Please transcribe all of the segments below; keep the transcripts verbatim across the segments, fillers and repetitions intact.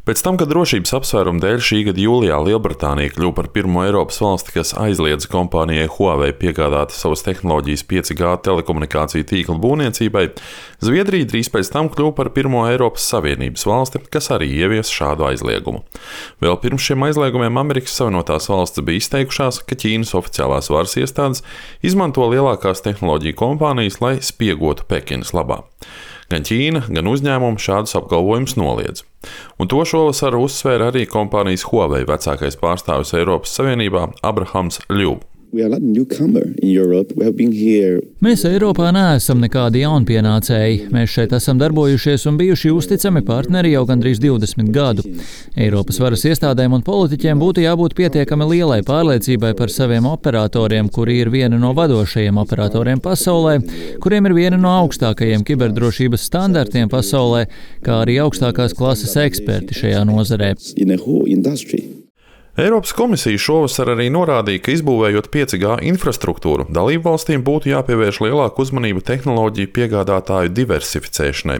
Pēc tam, kad drošības apsvērumu dēļ šī gada jūlijā Lielbritānija kļuva par pirmo Eiropas valsti, kas aizliedza kompānijai Huawei piegādāt savas tehnoloģijas pieci G telekomunikāciju tīkla būvniecībai, Zviedrija drīz pēc tam kļuva par pirmo Eiropas Savienības valsti, kas arī ievies šādu aizliegumu. Vēl pirms šiem aizliegumiem Amerikas Savienotās valstis bija izteikušās, ka Ķīnas oficiālās varas iestādes izmanto lielākās tehnoloģiju kompānijas, lai spiegotu Pekinas labā. Gan Ķīna, gan uzņēmumi šādus apgalvojumus noliedz. Un to šovasar uzsvēra arī kompānijas Huawei vecākais pārstāvis Eiropas Savienībā Abrahams Ļu. Mēs Eiropā neesam nekādi jaunpienācēji. Mēs šeit esam darbojušies un bijuši uzticami partneri jau gandrīz divdesmit gadu. Eiropas varas iestādēm un politiķiem būtu jābūt pietiekami lielai pārliecībai par saviem operatoriem, kuri ir viena no vadošajiem operatoriem pasaulē, kuriem ir viena no augstākajiem kiberdrošības standartiem pasaulē, kā arī augstākās klases eksperti šajā nozarē. Eiropas komisija šovasar arī norādīja, ka izbūvējot pieci G infrastruktūru, dalību valstīm būtu jāpievērš lielāku uzmanību tehnoloģiju piegādātāju diversificēšanai,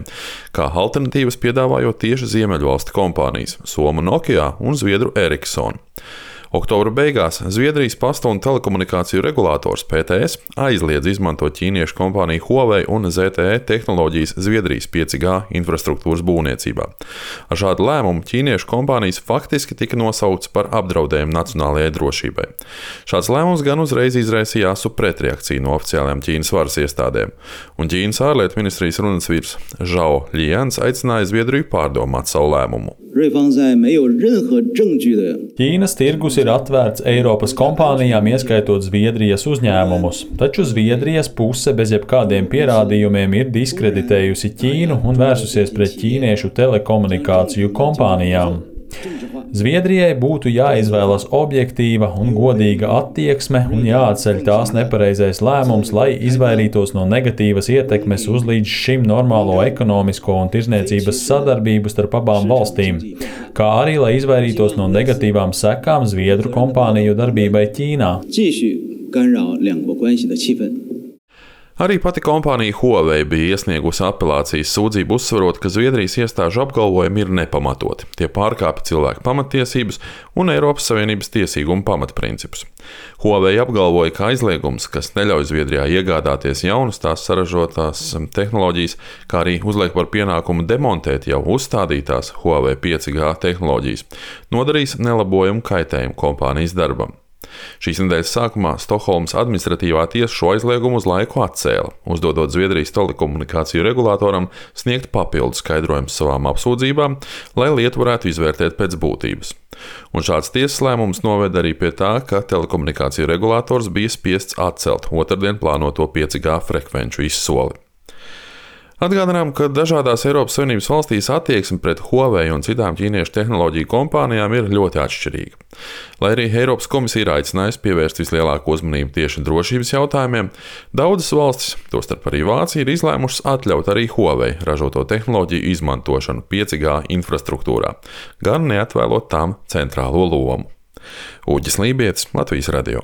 kā alternatīvas piedāvājot tieši ziemeļvalstu kompānijas – Somu Nokia un Zviedru Ericsson. Oktobra beigās Zviedrijas pasta un telekomunikāciju regulators P T S aizliedz izmantot ķīniešu kompāniju Huawei un Z T E tehnoloģijas Zviedrijas pieci G infrastruktūras būvniecībā. Ar šādu lēmumu ķīniešu kompānijas faktiski tika nosaukts par apdraudējumu nacionālajai drošībai. Šāds lēmums gan uzreiz izraisīja asu pretreakciju no oficiālajām Ķīnas varas iestādēm, un Ķīnas ārlietu ministrijas runasvīrs Zhao Lians aicināja Zviedriju pārdomāt savu lēmumu. Ķīnas tirgus ir atvērts Eiropas kompānijām, ieskaitot Zviedrijas uzņēmumus, taču Zviedrijas puse bez jebkādiem pierādījumiem ir diskreditējusi Ķīnu un vērsusies pret ķīniešu telekomunikāciju kompānijām. Zviedrijai būtu jāizvēlas objektīva un godīga attieksme un jāatceļ tās nepareizais lēmums, lai izvairītos no negatīvas ietekmes uz līdz šim normālo ekonomisko un tirzniecības sadarbību starp abām valstīm, kā arī lai izvairītos no negatīvām sekām Zviedru kompāniju darbībai Ķīnā. Arī pati kompānija Huawei bija iesniegusi apelācijas sūdzību, uzsverot, ka Zviedrijas iestāžu apgalvojumi ir nepamatoti. Tie pārkāpja cilvēku pamatiesības un Eiropas Savienības tiesīgumu pamatprincipus. Huawei apgalvoja, ka aizliegums, kas neļauj Zviedrijā iegādāties jaunas tās saražotās tehnoloģijas, kā arī uzliek par pienākumu demontēt jau uzstādītās Huawei pieci G tehnoloģijas, nodarīs nelabojumu kaitējumu kompānijas darbam. Šīs nedēļas sākumā Stokholmas administratīvā tiesa šo aizliegumu uz laiku atcēla, uzdodot Zviedrijas telekomunikāciju regulātoram sniegt papildu skaidrojumus savām apsūdzībām, lai lietu varētu izvērtēt pēc būtības. Un šāds tiesas lēmums noveda arī pie tā, ka telekomunikāciju regulātors bija spiests atcelt otrdien plānoto pieci G frekvenču izsoli. Atgādinām, ka dažādās Eiropas Savienības valstīs attieksme pret Huawei un citām ķīniešu tehnoloģiju kompānijām ir ļoti atšķirīga. Lai arī Eiropas komisija ir aicinājusi pievērst vislielāko uzmanību tieši drošības jautājumiem, daudzas valstis, tostarp arī Vācija, ir izlēmušas atļaut arī Huawei ražoto tehnoloģiju izmantošanu pieci G infrastruktūrā, gan neatvēlot tām centrālo lomu. Uģis Lībietis, Latvijas radio.